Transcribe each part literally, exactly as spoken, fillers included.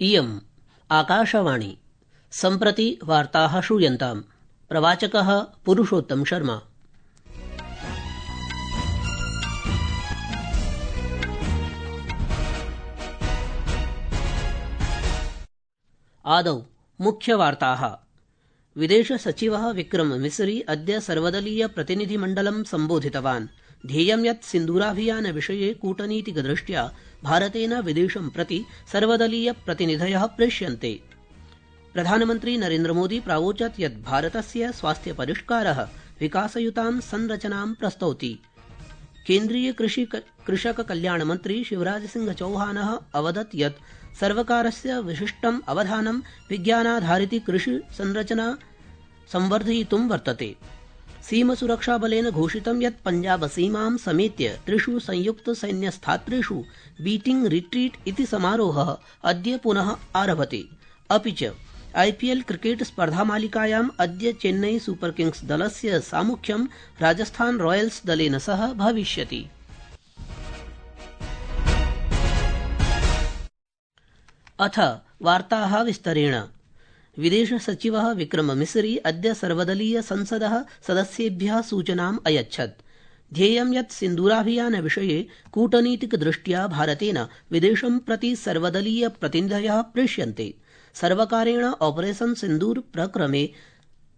इयम् आकाशवाणी सम्प्रति वार्ताः श्रूयन्ताम्। प्रवाचकः पुरुषोत्तम शर्मा। आदौ मुख्यवार्ताः। विदेशसचिवः विक्रम मिसरी अद्य सर्वदलीय प्रतिनिधिमण्डलं सम्बोधितवान्। ध्येयं यत् सिन्दूराभियानविषये कूटनीतिकदृष्ट्या भारतेन विदेशं प्रति सर्वदलीय प्रतिनिधयः प्रेष्यन्ते। प्रधानमन्त्री नरेन्द्रमोदी प्रावोचत् यत् भारतस्य स्वास्थ्यपरिष्कारः विकासयुतां संरचनां प्रस्तौति। केन्द्रीय कृषक कल्याणमन्त्री शिवराजसिंह चौहानः अवदत् यत् सर्वकारस्य विशिष्टम् अवधानं विज्ञानाधारित कृषि संरचना संवर्धयितुं वर्तते। सीमसुरक्षाबलेन घोषितं यत् पञ्जाबसीमां समेत्य त्रिषु संयुक्तसैन्यस्थात्रेषु बीटिंग रिट्रीट इति समारोहः अद्य पुनः आरभते। अपि च आईपीएल क्रिकेट स्पर्धामालिकायाम् अद्य चेन्नई सुपर किंग्स दलस्य सामुख्यं राजस्थान रॉयल्स दलेन सह भविष्यति। अथ वार्ताः विस्तरेण। विदेशसचिवः विक्रम मिसरी अद्य सर्वदलीय संसदः सदस्येभ्यः सूचनाम् अयच्छत्। ध्येयं यत् सिन्दूराभियानविषये कूटनीतिकदृष्ट्या भारतेन विदेशं प्रति सर्वदलीय प्रतिनिधयः प्रेष्यन्ते। सर्वकारेण ऑपरेशन सिन्दूर प्रक्रमे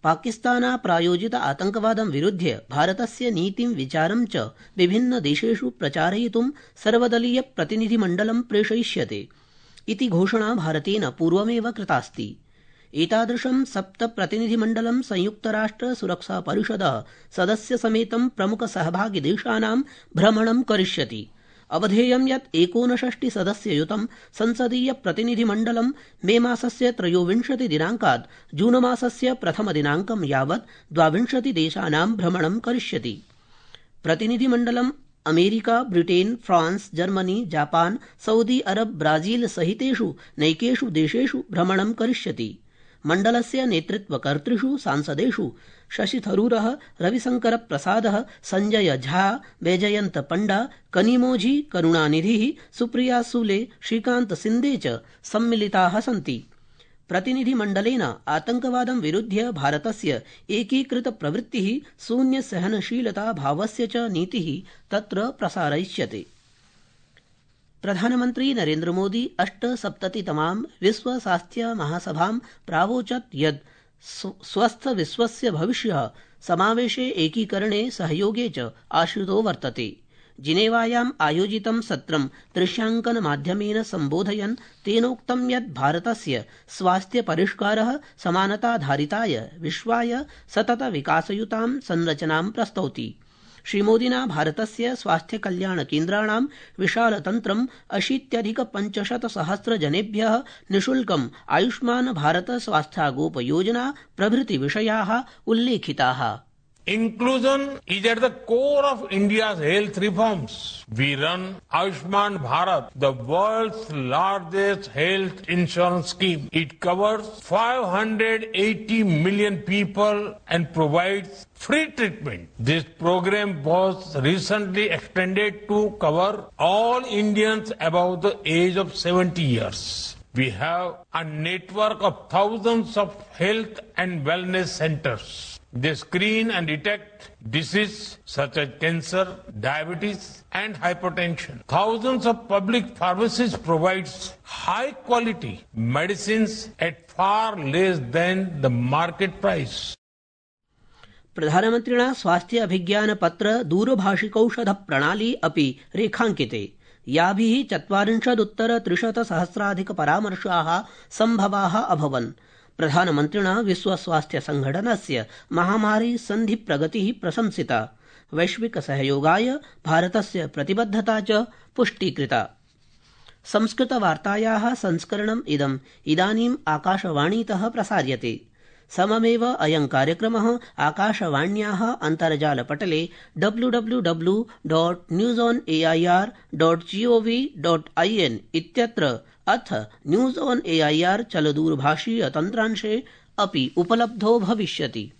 पाकिस्तानाप्रायोजित आतंकवादं विरुध्य भारतस्य नीतिं विचारं च विभिन्नदेशेषु प्रचारयितुं सर्वदलीय प्रतिनिधिमण्डलं प्रेषयिष्यते इति घोषणा भारतेन पूर्वमेव कृतास्ति। एतादृशं सप्त प्रतिनिधिमण्डलं संयुक्तराष्ट्र सुरक्षा परिषदः सदस्यसमेतं प्रमुखसहभागिदेशानां भ्रमणं करिष्यति। अवधेयं यत् एकोनषष्टि सदस्ययुतं संसदीय प्रतिनिधिमण्डलं मे मासस्य त्रयोविंशति दिनाङ्कात् जूनमासस्य प्रथमदिनाङ्कं यावत् द्वाविंशति देशानां भ्रमणं करिष्यति। प्रतिनिधिमण्डलं America, Britain, France, Germany, Japan, Saudi Arab, Brazil सहितेषु नैकेषु देशेषु भ्रमणं करिष्यति। मण्डलस्य नेतृत्वकर्तृषु सांसदेषु शशि थरूरः, रविशंकर प्रसादः, संजय झा, वैजयन्त पंडा, कनिमोझी, करुणानिधिः, सुप्रिया सुले, श्रीकांत सिंधे च सम्मिलिताः सन्ति। प्रतिनिधिमण्डलेन आतंकवादं विरुध्य भारतस्य एकीकृत प्रवृत्तिः, शून्य सहनशीलता भावस्य च नीतिः तत्र प्रसारयिष्यते। प्रधानमन्त्री नरेन्द्रमोदी अष्टसप्ततितमां विश्व स्वास्थ्य महासभां प्रावोचत् यत् स्वस्थ विश्वस्य भविष्यः समावेशे, एकीकरणे, सहयोगे च आश्रितो वर्तते। जिनेवायाम् आयोजितं सत्रं दृश्यांकनमाध्यमेन सम्बोधयन् तेनोक्तं यत् भारतस्य स्वास्थ्यपरिष्कारः समानताधारिताय विश्वाय सतत विकासयुतां संरचनां प्रस्तौति। श्रीमोदिना भारतस्य स्वास्थ्यकल्याणकेन्द्राणां विशालतन्त्रम् अशीत्यधिक पञ्चशत सहस्र जनेभ्यः निःशुल्कम् आयुष्मान भारत स्वास्थ्यागोपयोजना प्रभृति विषयाः उल्लेखिताः। Inclusion is at the core of India's health reforms. We run Ayushman Bharat, the world's largest health insurance scheme. It covers five hundred eighty million people and provides free treatment. This program was recently extended to cover all Indians above the age of seventy years. We have a network of thousands of health and wellness centers. They screen and detect diseases such as cancer, diabetes, and hypertension. Thousands of public pharmacies provide high-quality medicines at far less than the market price. प्रधानमन्त्रिणा स्वास्थ्य अभिज्ञान पत्र दूरभाषिकौषध प्रणाली अपि रेखाङ्किते। याभिः चत्वारिंशदुत्तर त्रिशत सहस्राधिक परामर्शाः सम्भवाः अभवन्। प्रधानमन्त्रिणा विश्व स्वास्थ्य संघटनस्य महामारी सन्धि प्रगतिः प्रशंसिता। वैश्विक सहयोगाय भारतस्य प्रतिबद्धता च पुष्टीकृता। संस्कृतवार्तायाः संस्करणम् इदम् इदानीम् आकाशवाणीतः प्रसार्यते। सममेव अयं कार्यक्रमः आकाशवाण्याः अन्तर्जालपटले W W W dot news on AIR dot gov dot IN इत्यत्र अथ न्यूज ऑन एआईआर चलदूरभाषीय तन्त्रांशे अपि उपलब्धो भविष्यति।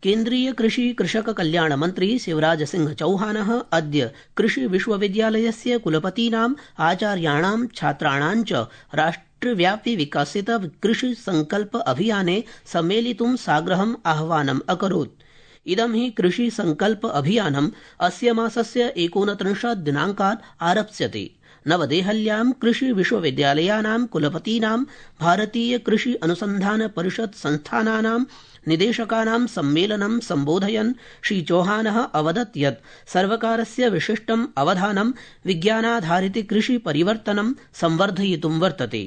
केन्द्रीय कृषि कृषक कल्याण मन्त्री शिवराज सिंह चौहानः अद्य कृषि विश्वविद्यालयस्य कुलपतीनाम् आचार्याणां छात्राणां च राष्ट्रव्यापि विकसित कृषि संकल्प अभियाने सम्मेलितुं साग्रहम् आह्वानम् अकरोत्। इदं हि कृषि संकल्प अभियानम् अस्य मासस्य एकोनत्रिंशत् दिनाङ्कात् आरप्स्यते। नवदेहल्यां कृषि विश्वविद्यालयानां कुलपतीनां भारतीय कृषि अनुसन्धान परिषद संस्थानानां निदेशकानां सम्मेलनं सम्बोधयन् श्री चौहानः अवदत् यत् सर्वकारस्य विशिष्टम् अवधानं विज्ञानाधारित कृषि परिवर्तनं संवर्धयितुं वर्तते।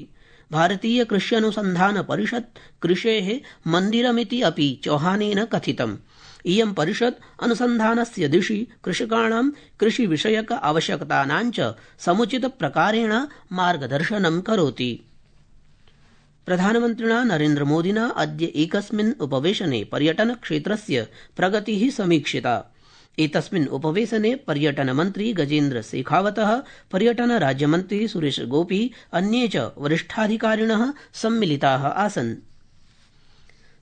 भारतीय कृष्यनुसन्धान परिषद कृषेः मन्दिरमिति अपि चौहानेन कथितम्। इयं परिषद अनुसन्धानस्य दिशि कृषकाणां कृषि विषयक आवश्यकतानां च समुचित प्रकारेण मार्गदर्शनं करोति। प्रधानमन्त्रिणा नरेन्द्रमोदिना अद्य एकस्मिन् उपवेशने पर्यटन क्षेत्रस्य प्रगतिः समीक्षिता। एतस्मिन् उपवेशने पर्यटनमन्त्री गजेन्द्र शेखावतः, पर्यटन राज्यमन्त्री सुरेश गोपी, अन्ये च वरिष्ठाधिकारिणः सम्मिलिताः आसन्।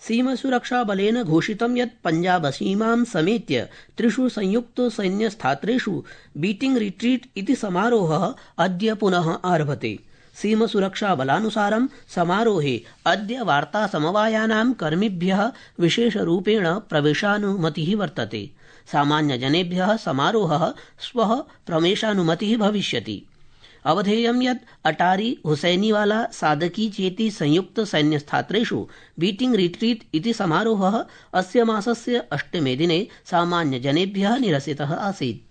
सीमासुरक्षाबलेन घोषितं यत् पञ्जाबसीमां समेत्य त्रिषु संयुक्त सैन्यस्थात्रेषु बीटिंग रिट्रीट इति समारोहः अद्य पुनः आरभते। सीमासुरक्षाबलानुसारं समारोहे अद्य वार्तासमवायानां कर्मिभ्यः विशेषरूपेण प्रवेशानुमतिः वर्तते। सामान्यजनेभ्यः समारोहः श्वः प्रवेशानुमतिः भविष्यति। अवधेयं यत् अटारी हुसैनीवाला सादकी चेति संयुक्त सैन्यस्थात्रेषु बीटिंग रिट्रीट इति समारोहः अस्य मासस्य अष्टमे दिने सामान्यजनेभ्यः निरसितः आसीत्।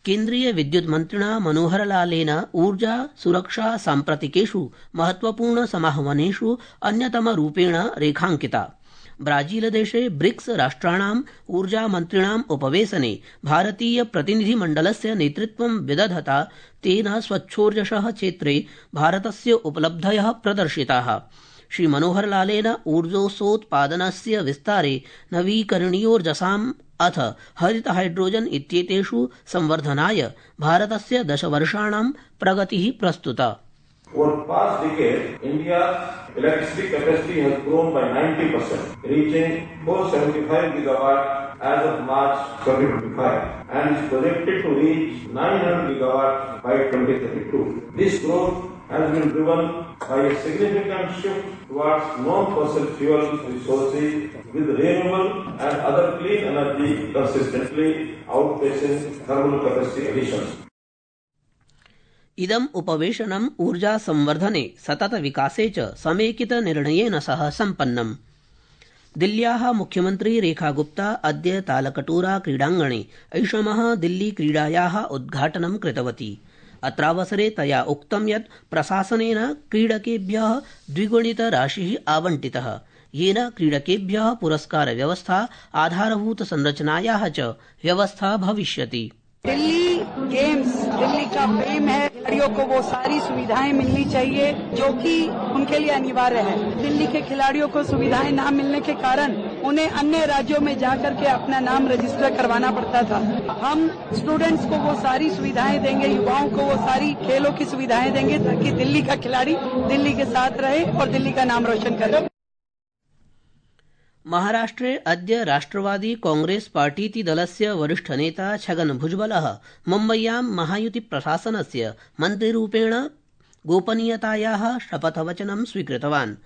केन्द्रीय विद्युत् मन्त्रिणा मनोहरलालेन ऊर्जा सुरक्षा साम्प्रतिकेषु महत्वपूर्ण समाह्वानेषु अन्यतमरूपेण रेखाङ्किता। ब्राजीलदेशे ब्रिक्स राष्ट्राणाम् ऊर्जामन्त्रिणाम् उपवेशने भारतीय प्रतिनिधिमण्डलस्य नेतृत्वं विदधता तेन स्वच्छोर्जसः क्षेत्रे भारतस्य उपलब्धयः प्रदर्शिताः। श्री मनोहरलालेन ऊर्जोत्पादनस्य विस्तारे नवीकरणीयोर्जसाम् अथ हरित हाइड्रोजन इत्येतेषु संवर्धनाय भारतस्य दशवर्षाणां प्रगतिः प्रस्तुता। Over the past decade, India's electricity capacity has grown by ninety percent, reaching four hundred seventy-five gigawatts as of March twenty twenty-five, and is projected to reach nine hundred gigawatts by twenty thirty-two. This growth has been driven by a significant shift towards non-fossil fuel resources, with renewable and other clean energy consistently outpacing thermal capacity additions. इदम् उपवेशनम् ऊर्जा संवर्धने सतत विकासे च समेकित निर्णयेन सह सम्पन्नम्। दिल्ल्याः मुख्यमन्त्री रेखा गुप्ता अद्य तालकटोरा क्रीडाङ्गणे ऐषमः दिल्ली क्रीडायाः उद्घाटनं कृतवती। अत्रावसरे तया उक्तं यत् प्रशासनेन क्रीडकेभ्यः द्विगुणित राशिः आवण्टितः, येन क्रीडकेभ्यः पुरस्कार व्यवस्था, आधारभूत संरचनायाः च व्यवस्था भविष्यति। दिल्ली गेम्स दिल्ली का प्रेम है, खिलाड़ियों को वो सारी सुविधाएं मिलनी चाहिए जो कि उनके लिए अनिवार्य है। दिल्ली के खिलाड़ियों को सुविधाएं न मिलने के कारण उन्हें अन्य राज्यों में जाकर के अपना नाम रजिस्टर करवाना पड़ता था। हम स्टूडेंट्स को वो सारी सुविधाएं देंगे, युवाओं को वो सारी खेलों की सुविधाएं देंगे ताकि दिल्ली का खिलाड़ी दिल्ली के साथ रहे और दिल्ली का नाम रोशन करे। महाराष्ट्रे अद्य राष्ट्रवादी कांग्रेस पार्टीति दलस्य वरिष्ठ नेता छगन भुजबलः मुम्बय्यां महायुति प्रशासनस्य मन्त्रिरूपेण गोपनीयतायाः शपथवचनं स्वीकृतवान्।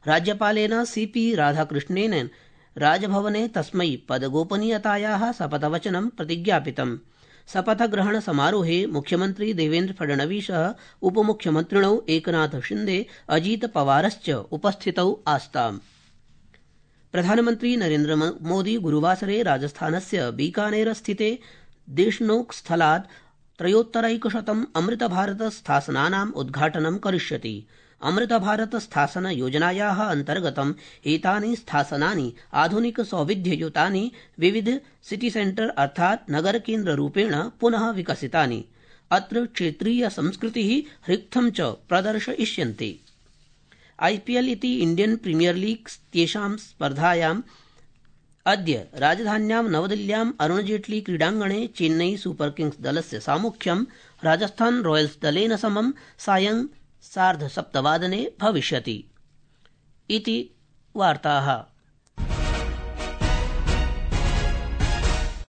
राज्यपालेन सीपी राधाकृष्णेन राजभवने तस्मै पदगोपनीयतायाः शपथवचनं प्रतिज्ञापितम्। शपथग्रहण समारोहे मुख्यमन्त्री देवेन्द्र फडणवीसः, उपमुख्यमन्त्रिणौ एकनाथ शिन्दे, अजीत पवारश्च उपस्थितौ आस्ताम्। प्रधानमन्त्री नरेन्द्र मोदी गुरुवासरे राजस्थानस्य बीकानेर स्थिते देशनोक स्थलात् त्रयोत्तरैकशतम् अमृत भारत स्थासनानाम् उद्घाटनं करिष्यति। अमृत भारत स्थासन योजनायाः अन्तर्गतम् एतानि स्थासनानि आधुनिक सौविध्ययुतानि विविध सिटी सेंटर अर्थात् नगर केन्द्र रूपेण पुनः विकसितानि। अत्र क्षेत्रीय संस्कृतिः रिक्थं च प्रदर्शयिष्यन्ते। आईपीएल इति इंडियन प्रीमियर लीग इत्येषां स्पर्धायाम् अद्य राजधान्यां नवदिल्ल्याम् अरुण जेटली क्रीडाङ्गणे चेन्नई सुपर किंग्स दलस्य सामुख्यं राजस्थान रॉयल्स दलेन समं सायं सार्धसप्तवादने भविष्यति। इति वार्ताः।